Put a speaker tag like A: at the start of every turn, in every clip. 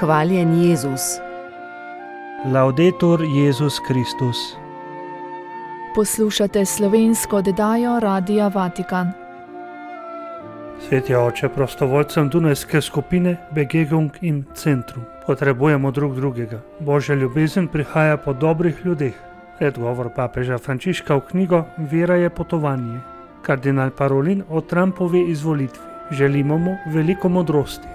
A: Hvaljen Jezus.
B: Laudetur Jezus Kristus.
C: Poslušate slovensko oddajo Radia Vatikan.
B: Sveti oče, prostovoljcem Dunajske skupine Begegnung im Centrum potrebujemo drug drugega. Božja ljubezen prihaja po dobrih ljudeh. Predgovor papeža Frančiška v knjigo Vera je potovanje. Kardinal Parolin o Trumpovi izvolitvi. Želimo mu veliko modrosti.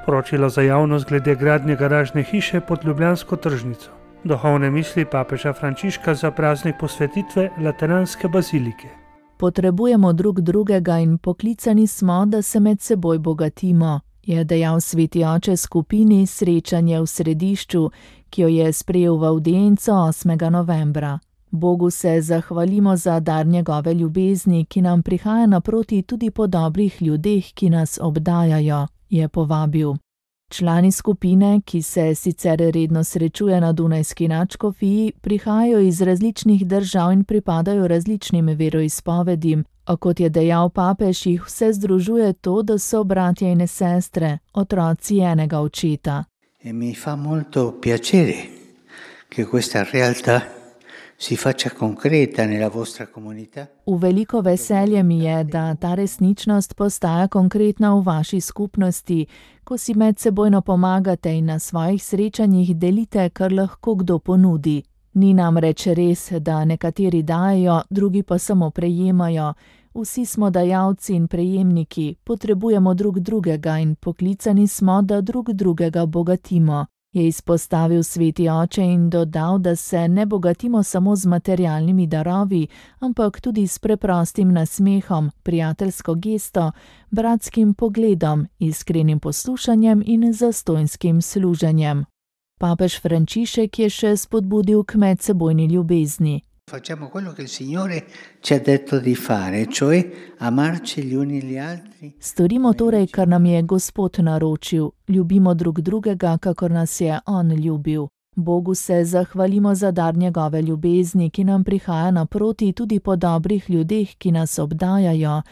B: Sporočilo za javnost glede gradnje garažne hiše pod Ljubljansko tržnico. Duhovne misli papeža Frančiška za praznik posvetitve Lateranske bazilike.
C: Potrebujemo drug drugega in poklicani smo, da se med seboj bogatimo, je dejal sveti oče skupini Srečanje v središču, ki jo je sprejel v avdienco 8. novembra. Bogu se zahvalimo za dar njegove ljubezni, ki nam prihaja naproti tudi po dobrih ljudeh, ki nas obdajajo, je povabil. Člani skupine, ki se sicer redno srečuje na Dunajski nadškofiji, prihajajo iz različnih držav in pripadajo različnim veroizpovedim, a kot je dejal papež, jih vse združuje to, da so bratje in sestre, otroci enega očeta.
D: Mi fa molto piacere che questa realtà si faccia concreta nella vostra comunità.
C: V veliko veselje mi je, da ta resničnost postaja konkretna v vaši skupnosti, ko si medsebojno pomagate in na svojih srečanjih delite, kar lahko kdo ponudi. Ni namreč res, da nekateri dajejo, drugi pa samo prejemajo. Vsi smo dajalci in prejemniki, potrebujemo drug drugega in poklicani smo, da drug drugega bogatimo, je izpostavil sveti oče in dodal, da se ne bogatimo samo z materialnimi darovi, ampak tudi s preprostim nasmehom, prijateljsko gesto, bratskim pogledom, iskrenim poslušanjem in zastojnskim služenjem. Papež Frančišek je še spodbudil k medsebojni ljubezni.
D: Facciamo quello che il Signore ci ha detto di fare, cioè amarci gli uni gli altri.
C: Storimo torej, kar nam je Gospod naročil, ljubimo drug drugega, kakor nas je On ljubil. Bogu se zahvalimo za dar njegove ljubezni, ki nam prihaja naproti tudi po dobrih ljudeh, ki nas obdajajo.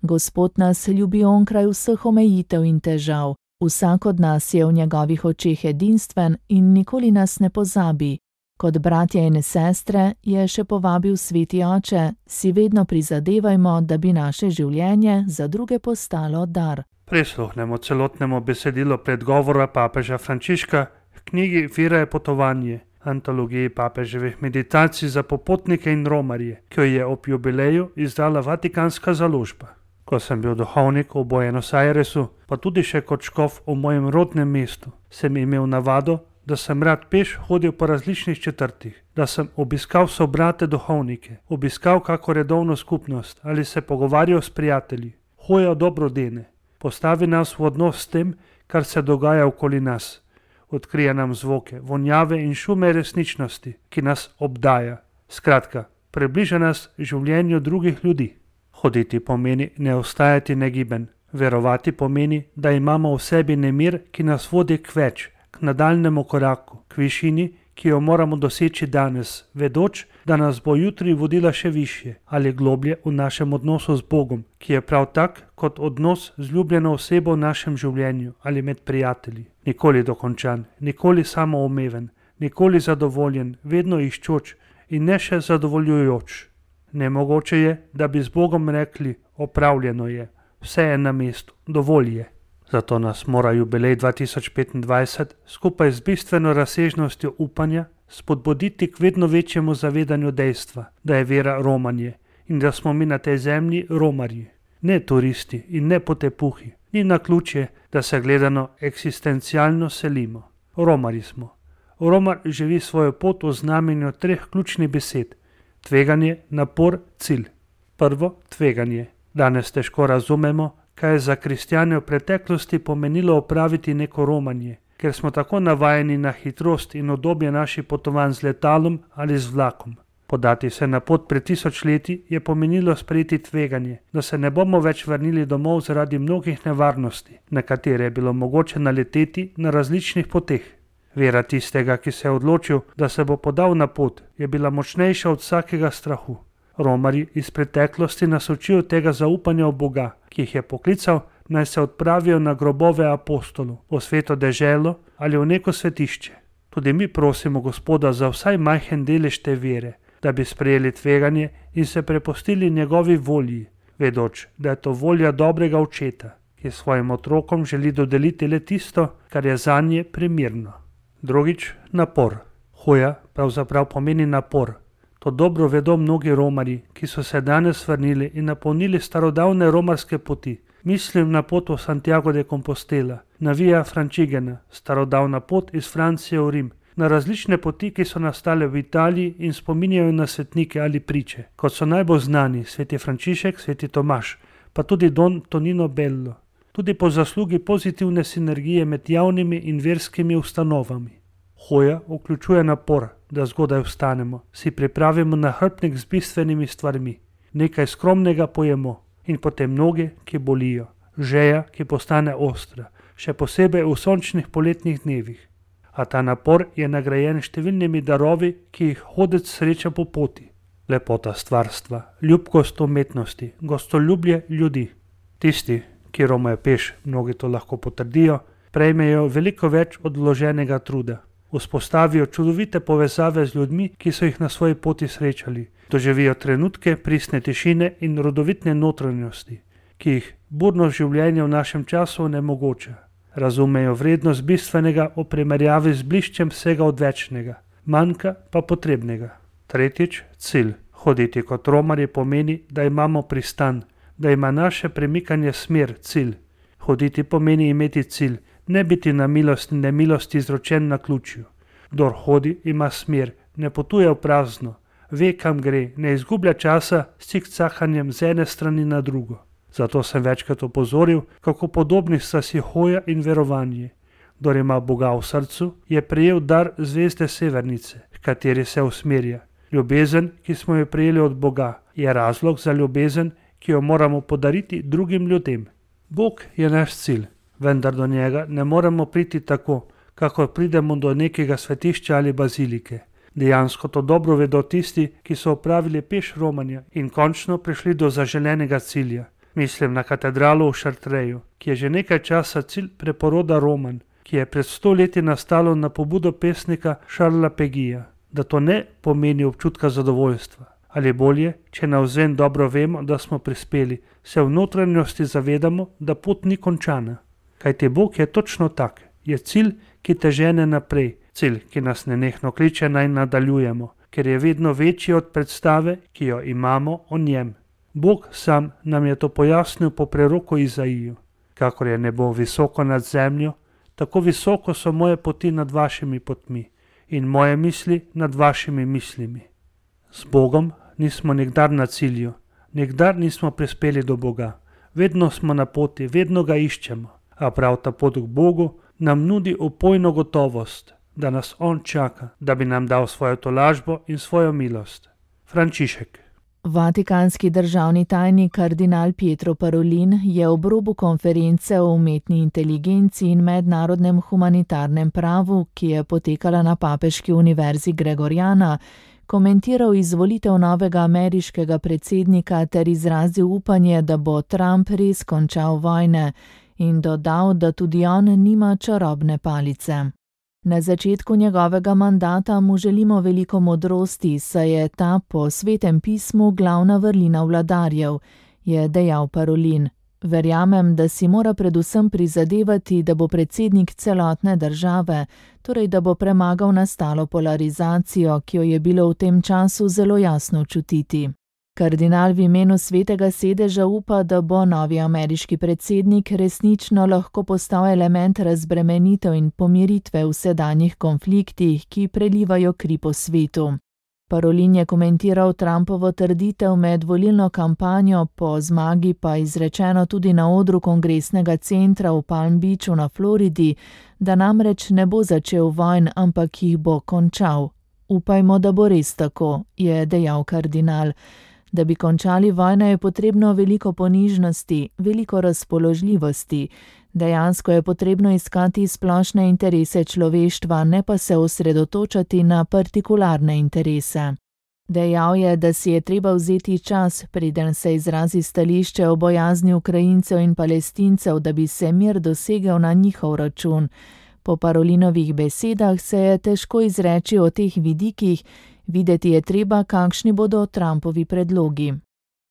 C: Gospod nas ljubi onkraj vseh omejitev in težav. Vsak od nas je v njegovih očeh edinstven in nikoli nas ne pozabi. Kot bratje in sestre, je še povabil sveti oče, si vedno prizadevajmo, da bi naše življenje za druge postalo dar.
B: Prisluhnemo celotnemu besedilu predgovora papeža Frančiška v knjigi Vera je potovanje, antologiji papeževih meditacij za popotnike in romarje, ki jo je ob jubileju izdala Vatikanska založba. Ko sem bil duhovnik v Buenos Airesu, pa tudi še kot škof v mojem rodnem mestu, sem imel navado, da sem rad peš hodil po različnih četrtih, da sem obiskal sobrate duhovnike, obiskal kako redovno skupnost ali se pogovarjal s prijatelji, hojal dobrodene, postavi nas v odnos s tem, kar se dogaja okoli nas, odkrije nam zvoke, vonjave in šume resničnosti, ki nas obdaja. Skratka, približa nas življenju drugih ljudi. Hoditi pomeni ne ostajati negiben, verovati pomeni, da imamo v sebi nemir, ki nas vodi k več, k nadaljnemu koraku, k višini, ki jo moramo doseči danes, vedoč, da nas bo jutri vodila še višje ali globlje v našem odnosu z Bogom, ki je prav tak kot odnos z ljubljeno osebo v našem življenju ali med prijatelji. Nikoli dokončan, nikoli samoumeven, nikoli zadovoljen, vedno iščoč in ne še zadovoljujoč. Nemogoče je, da bi z Bogom rekli, opravljeno je, vse je na mestu, dovolj je. Zato nas mora jubilej 2025 skupaj z bistveno razsežnostjo upanja spodbuditi k vedno večjemu zavedanju dejstva, da je vera romanje in da smo mi na tej zemlji romarji, ne turisti in ne potepuhi. Ni naključje, da se gledano eksistencialno selimo. Romarji smo. Romar živi svojo pot v znamenju 3 ključnih besed. Tveganje, napor, cilj. Prvo, tveganje. Danes težko razumemo, kaj je za kristjane v preteklosti pomenilo opraviti neko romanje, ker smo tako navajeni na hitrost in udobje naših potovanj z letalom ali z vlakom. Podati se na pot pred 1000 leti je pomenilo sprejeti tveganje, da se ne bomo več vrnili domov zaradi mnogih nevarnosti, na katere je bilo mogoče naleteti na različnih poteh. Vera tistega, ki se je odločil, da se bo podal na pot, je bila močnejša od vsakega strahu. Romarji iz preteklosti nas učijo tega zaupanja v Boga, ki jih je poklical, naj se odpravijo na grobove apostolov, v sveto deželo ali v neko svetišče. Tudi mi prosimo Gospoda za vsaj majhen delež te vere, da bi sprejeli tveganje in se prepustili njegovi volji, vedoč, da je to volja dobrega očeta, ki svojim otrokom želi dodeliti le tisto, kar je zanje primirno. Drugič, napor. Hoja pravzaprav pomeni napor. To dobro vedo mnogi romarji, ki so se danes vrnili in napolnili starodavne romarske poti. Mislim na pot v Santiago de Compostela, na Via Francigena, starodavna pot iz Francije v Rim, na različne poti, ki so nastale v Italiji in spominjajo na svetnike ali priče, kot so najbolj znani sveti Frančišek, sveti Tomaž, pa tudi Don Tonino Bello. Tudi po zaslugi pozitivne sinergije med javnimi in verskimi ustanovami. Hoja vključuje napor, da zgodaj vstanemo, si pripravimo nahrbtnik z bistvenimi stvarmi, nekaj skromnega pojemo in potem noge, ki bolijo, žeja, ki postane ostra, še posebej v sončnih poletnih dnevih. A ta napor je nagrajen številnimi darovi, ki jih hodec sreča po poti. Lepota stvarstva, ljubkost umetnosti, gostoljubje ljudi. Tisti, ki romajo peš, mnogi to lahko potrdijo, prejmejo veliko več od vloženega truda. Vzpostavijo čudovite povezave z ljudmi, ki so jih na svoji poti srečali. Doživijo trenutke pristne tišine in rodovitne notranjosti, ki jih burno življenje v našem času onemogoča. Razumejo vrednost bistvenega v primerjavi z bliščem vsega odvečnega, manjka pa potrebnega. Tretjič, cilj. Hoditi kot romarji pomeni, da imamo pristan, da ima naše premikanje smer, cilj. Hoditi pomeni imeti cilj, ne biti na milost in nemilost izročen na ključju. Kdor hodi, ima smer, ne potuje v prazno, ve, kam gre, ne izgublja časa s cikcakanjem z ene strani na drugo. Zato sem večkrat opozoril, kako podobni sta si hoja in verovanje. Kdor ima Boga v srcu, je prejel dar zvezde Severnice, h kateri se usmerja. Ljubezen, ki smo jo prejeli od Boga, je razlog za ljubezen, ki jo moramo podariti drugim ljudem. Bog je naš cilj, vendar do njega ne moremo priti tako, kakor pridemo do nekega svetišča ali bazilike. Dejansko to dobro vedo tisti, ki so opravili peš romanja in končno prišli do zaželenega cilja. Mislim na katedralo v Chartreju, ki je že nekaj časa cilj preporoda Roman, ki je pred 100 leti nastalo na pobudo pesnika Charlesa Pegija. Da to ne pomeni občutka zadovoljstva. Ali bolje, če navzven dobro vemo, da smo prispeli, se v notranjosti zavedamo, da pot ni končana. Kajti Bog je točno tak, je cilj, ki te žene naprej, cilj, ki nas nenehno kliče naj nadaljujemo, ker je vedno večji od predstave, ki jo imamo o njem. Bog sam nam je to pojasnil po preroku Izaiju. Kakor je nebo visoko nad zemljo, tako visoko so moje poti nad vašimi potmi in moje misli nad vašimi mislimi. Z Bogom nismo nikdar na cilju, nikdar nismo prispeli do Boga. Vedno smo na poti, vedno ga iščemo, a prav ta pot k Bogu nam nudi upojno gotovost, da nas On čaka, da bi nam dal svojo tolažbo in svojo milost. Frančišek.
C: Vatikanski državni tajnik kardinal Pietro Parolin je ob robu konference o umetni inteligenci in mednarodnem humanitarnem pravu, ki je potekala na Papeški univerzi Gregoriana, komentiral izvolitev novega ameriškega predsednika ter izrazil upanje, da bo Trump res končal vojne in dodal, da tudi on nima čarobne palice. Na začetku njegovega mandata mu želimo veliko modrosti, saj je ta po Svetem pismu glavna vrlina vladarjev, je dejal Parolin. Verjamem, da si mora predvsem prizadevati, da bo predsednik celotne države, torej da bo premagal nastalo polarizacijo, ki jo je bilo v tem času zelo jasno čutiti. Kardinal v imenu Svetega sedeža upa, da bo novi ameriški predsednik resnično lahko postal element razbremenitev in pomiritve v sedanjih konfliktih, ki prelivajo kri po svetu. Parolin je komentiral Trumpovo trditev med volilno kampanjo, po zmagi pa izrečeno tudi na odru kongresnega centra v Palm Beachu na Floridi, da namreč ne bo začel vojn, ampak jih bo končal. Upajmo, da bo res tako, je dejal kardinal. Da bi končali vojno, je potrebno veliko ponižnosti, veliko razpoložljivosti. Dejansko je potrebno iskati splošne interese človeštva, ne pa se osredotočati na partikularne interese. Dejal je, da si je treba vzeti čas, preden se izrazi stališče o bojazni Ukrajincev in Palestincev, da bi se mir dosegel na njihov račun. Po Parolinovih besedah se je težko izreči o teh vidikih, videti je treba, kakšni bodo Trumpovi predlogi.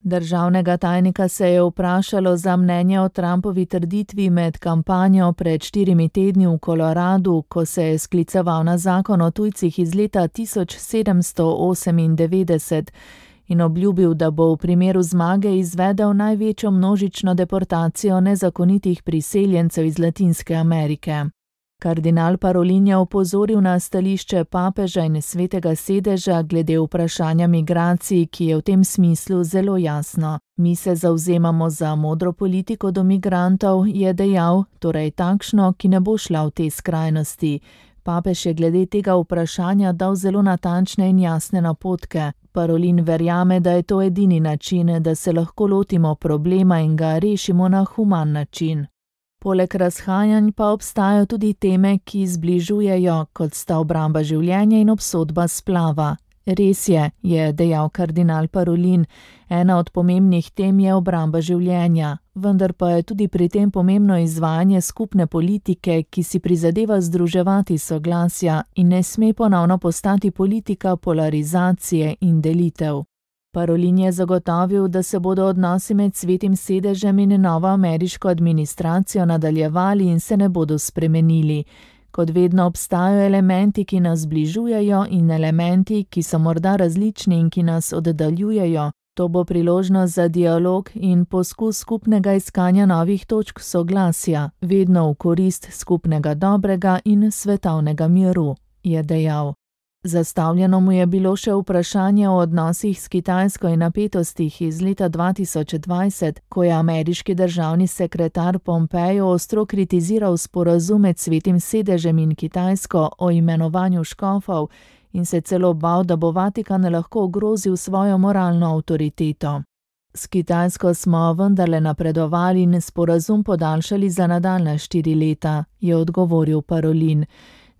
C: Državnega tajnika se je vprašalo za mnenje o Trumpovi trditvi med kampanjo pred 4 tedni v Koloradu, ko se je skliceval na zakon o tujcih iz leta 1798 in obljubil, da bo v primeru zmage izvedel največjo množično deportacijo nezakonitih priseljencev iz Latinske Amerike. Kardinal Parolin je opozoril na stališče papeža in svetega sedeža glede vprašanja migracij, ki je v tem smislu zelo jasno. Mi se zavzemamo za modro politiko do migrantov, je dejal, torej takšno, ki ne bo šla v te skrajnosti. Papež je glede tega vprašanja dal zelo natančne in jasne napotke. Parolin verjame, da je to edini način, da se lahko lotimo problema in ga rešimo na human način. Poleg razhajanj pa obstajajo tudi teme, ki zbližujejo, kot sta obramba življenja in obsodba splava. Res je dejal kardinal Parolin, ena od pomembnih tem je obramba življenja, vendar pa je tudi pri tem pomembno izvajanje skupne politike, ki si prizadeva združevati soglasja in ne sme ponovno postati politika polarizacije in delitev. Parolin je zagotovil, da se bodo odnosi med Svetim sedežem in novo ameriško administracijo nadaljevali in se ne bodo spremenili. Kot vedno obstajajo elementi, ki nas zbližujejo in elementi, ki so morda različni in ki nas oddaljujejo. To bo priložnost za dialog in poskus skupnega iskanja novih točk soglasja, vedno v korist skupnega dobrega in svetovnega miru, je dejal. Zastavljeno mu je bilo še vprašanje o odnosih s Kitajsko in napetostih iz leta 2020, ko je ameriški državni sekretar Pompeo ostro kritiziral sporazum med Svetim sedežem in Kitajsko o imenovanju škofov in se celo bal, da bo Vatikan lahko ogrozil svojo moralno avtoriteto. S Kitajsko smo vendarle napredovali in sporazum podaljšali za nadaljnja 4 leta, je odgovoril Parolin.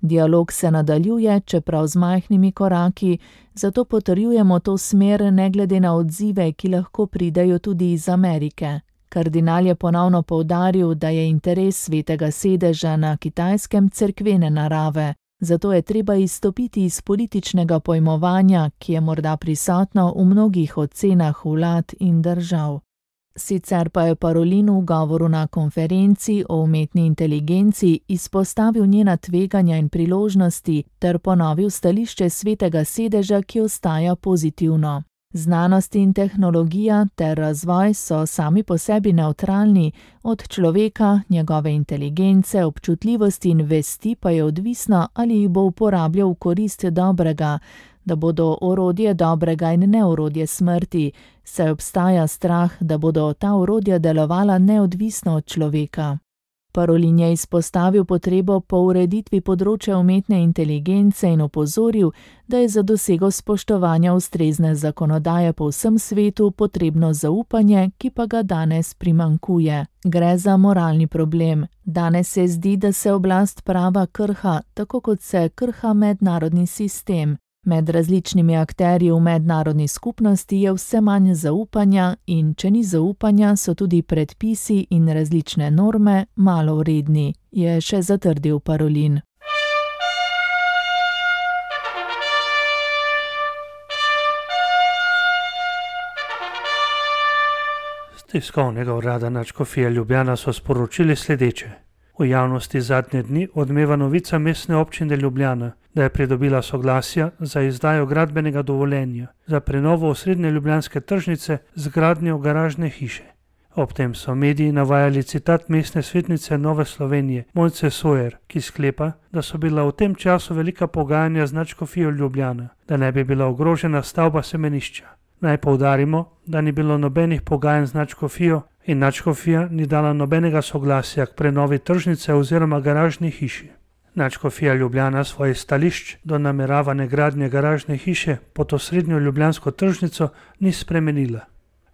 C: Dialog se nadaljuje, čeprav z majhnimi koraki, zato potrjujemo to smer ne glede na odzive, ki lahko pridejo tudi iz Amerike. Kardinal je ponovno poudaril, da je interes Svetega sedeža na Kitajskem cerkvene narave, zato je treba izstopiti iz političnega pojmovanja, ki je morda prisotno v mnogih ocenah vlad in držav. Sicer pa je Parolin v govoru na konferenci o umetni inteligenci izpostavil njena tveganja in priložnosti ter ponovil stališče Svetega sedeža, ki ostaja pozitivno. Znanost in tehnologija ter razvoj so sami po sebi nevtralni, od človeka, njegove inteligence, občutljivosti in vesti pa je odvisno, ali jih bo uporabljal v korist dobrega, da bodo orodje dobrega in ne orodje smrti, saj obstaja strah, da bodo ta orodja delovala neodvisno od človeka. Parolin je izpostavil potrebo po ureditvi področja umetne inteligence in opozoril, da je za dosego spoštovanja ustrezne zakonodaje po vsem svetu potrebno zaupanje, ki pa ga danes primanjkuje. Gre za moralni problem. Danes se zdi, da se oblast prava krha, tako kot se krha mednarodni sistem. Med različnimi akterji v mednarodni skupnosti je vse manj zaupanja in če ni zaupanja, so tudi predpisi in različne norme malo vredni, je še zatrdil Parolin.
B: Z tiskovnega urada nadškofije Ljubljana so sporočili sledeče. V javnosti zadnje dni odmeva novica Mestne občine Ljubljana, da je pridobila soglasja za izdajo gradbenega dovoljenja za prenovo osrednje ljubljanske tržnice z gradnjo garažne hiše. Ob tem so mediji navajali citat mestne svetnice Nove Slovenije Mojce Sojer, ki sklepa, da so bila v tem času velika pogajanja z nadškofijo Ljubljana, da ne bi bila ogrožena stavba semenišča. Naj poudarimo, da ni bilo nobenih pogajanj z nadškofijo in nadškofija ni dala nobenega soglasja k prenovi tržnice oziroma garažni hiši. Nadškofija Ljubljana svojih stališč do nameravane gradnje garažne hiše pod osrednjo ljubljansko tržnico ni spremenila.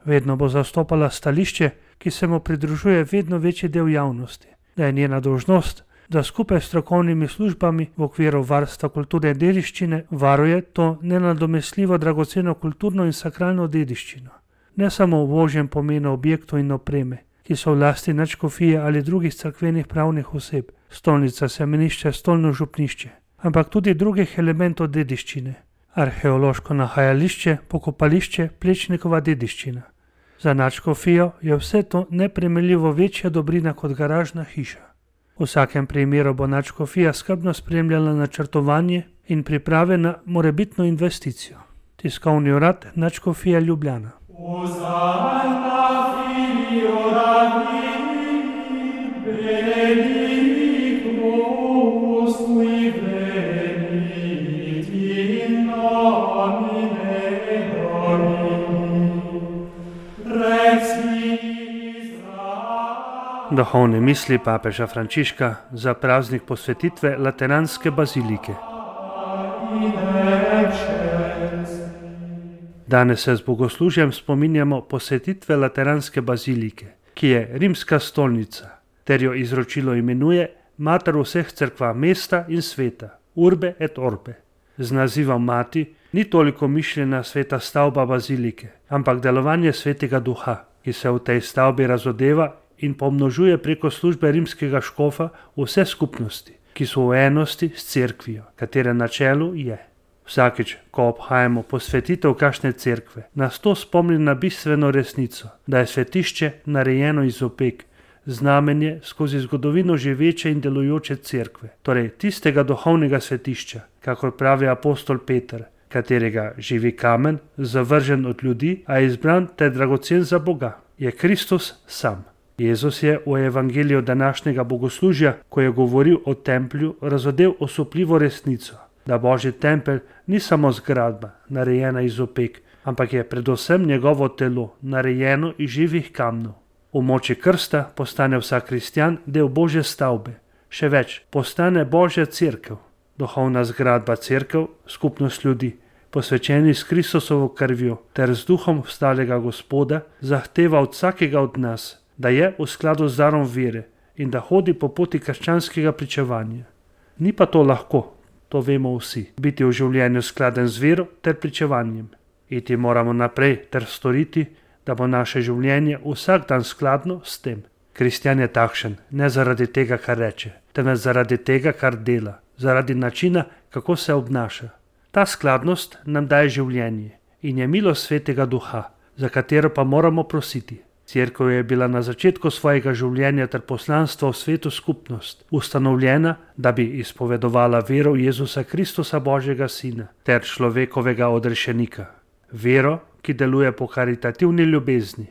B: Vedno bo zastopala stališče, ki se mu pridružuje vedno večji del javnosti, da je njena dolžnost, da skupaj s strokovnimi službami v okviru varstva kulturne dediščine varuje to nenadomestljivo dragoceno kulturno in sakralno dediščino. Ne samo v ožjem pomenu objektov in opreme, ki so v lasti nadškofije ali drugih cerkvenih pravnih oseb, stolnica, semenišče, stolno župnišče, ampak tudi drugih elementov dediščine, arheološko nahajališče, pokopališče, Plečnikova dediščina. Za nadškofijo je vse to neprimerljivo večja dobrina kot garažna hiša. V vsakem primeru bo nadškofija skrbno spremljala načrtovanje in priprave na morebitno investicijo. Tiskovni urad Nadškofije Ljubljana. Duhovne misli papeža Frančiška za praznik posvetitve Lateranske bazilike. Danes se z bogoslužjem spominjamo posvetitve Lateranske bazilike, ki je rimska stolnica, ter jo izročilo imenuje mater vseh cerkva mesta in sveta, Urbe et Orbe. Z nazivom mati ni toliko mišljena sveta stavba bazilike, ampak delovanje svetega duha, ki se v tej stavbi razodeva in pomnožuje preko službe rimskega škofa vse skupnosti, ki so v enosti s cerkvijo, katere na čelu je. Vsakič, ko obhajamo posvetitev kakšne cerkve, nas to spomni na bistveno resnico, da je svetišče narejeno iz opek, znamenje skozi zgodovino živeče in delujoče cerkve, torej tistega duhovnega svetišča, kakor pravi apostol Peter, katerega živi kamen, zavržen od ljudi, a izbran ter dragocen za Boga, je Kristus sam. Jezus je v evangeliju današnjega bogoslužja, ko je govoril o templju, razodel osupljivo resnico, da Božji tempelj ni samo zgradba, narejena iz opek, ampak je predvsem njegovo telo, narejeno iz živih kamnov. V moči krsta postane vsak kristjan del Božje stavbe, še več, postane Božja cerkev, duhovna zgradba cerkev, skupnost ljudi, posvečeni s Kristusovo krvjo ter z duhom vstalega Gospoda, zahteva od vsakega od nas, da je v skladu z darom vere in da hodi po poti krščanskega pričevanja. Ni pa to lahko, to vemo vsi, biti v življenju skladen z vero ter pričevanjem. Iti moramo naprej ter storiti, da bo naše življenje vsak dan skladno s tem. Kristjan je takšen, ne zaradi tega, kar reče, temveč zaradi tega, kar dela, zaradi načina, kako se obnaša. Ta skladnost nam daje življenje in je milost svetega duha, za katero pa moramo prositi. Cerkev je bila na začetku svojega življenja ter poslanstva v svetu skupnost, ustanovljena, da bi izpovedovala vero v Jezusa Kristusa Božjega Sina ter človekovega odrešenika. Vero, ki deluje po karitativni ljubezni.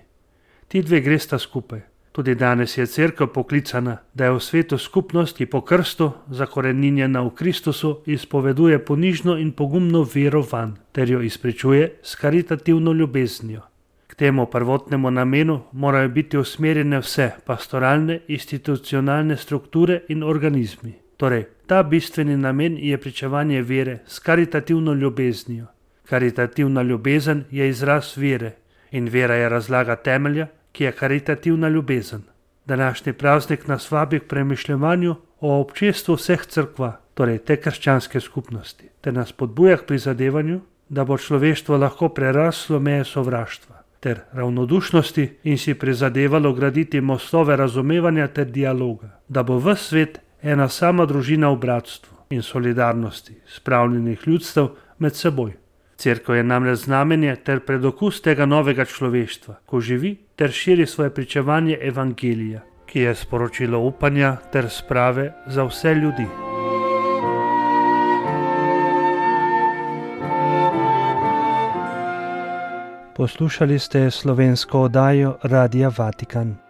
B: Ti dve gresta skupaj. Tudi danes je cerkev poklicana, da je v svetu skupnost, ki po krstu, zakoreninjena v Kristusu, izpoveduje ponižno in pogumno vero vanj, ter jo izpričuje s karitativno ljubeznijo. K temu prvotnemu namenu morajo biti usmerjene vse pastoralne, institucionalne strukture in organizmi. Torej, ta bistveni namen je pričevanje vere s karitativno ljubeznijo. Karitativna ljubezen je izraz vere in vera je razlaga temelja, ki je karitativna ljubezen. Današnji praznik nas vabi k premišljevanju o občestvu vseh cerkva, torej te krščanske skupnosti, ter nas spodbuja k prizadevanju, da bo človeštvo lahko preraslo meje sovraštva ter ravnodušnosti in si prizadevalo graditi mostove razumevanja ter dialoga, da bo ves svet ena sama družina v bratstvu in solidarnosti spravljenih ljudstev med seboj. Cerkev je namreč znamenje ter predokus tega novega človeštva, ko živi ter širi svoje pričevanje evangelija, ki je sporočilo upanja ter sprave za vse ljudi. Poslušali ste slovensko oddajo Radia Vatikan.